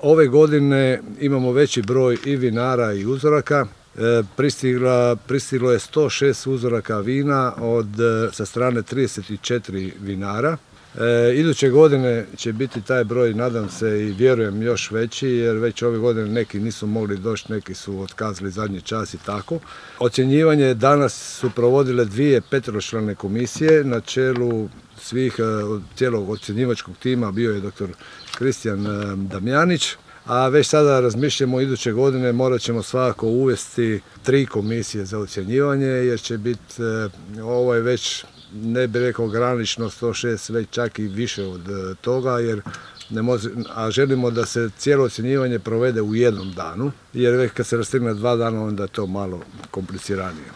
Ove godine imamo veći broj i vinara i uzoraka. Pristiglo je 106 uzoraka vina sa strane 34 vinara. Iduće godine će biti taj broj, nadam se i vjerujem, još veći, jer već ove godine neki nisu mogli doći, neki su otkazali zadnji čas i tako. Ocjenjivanje danas su provodile 2 peteročlane komisije na čelu cijelog ocjenjivačkog tima bio je dr. Kristijan Damjanić, a već sada razmišljamo iduće godine morat ćemo svakako uvesti 3 komisije za ocjenjivanje, jer će biti ovo je već, ne bih rekao granično 106, već čak i više od toga, a želimo da se cijelo ocjenjivanje provede u jednom danu, jer već kad se rastegne 2 dana onda je to malo kompliciranije.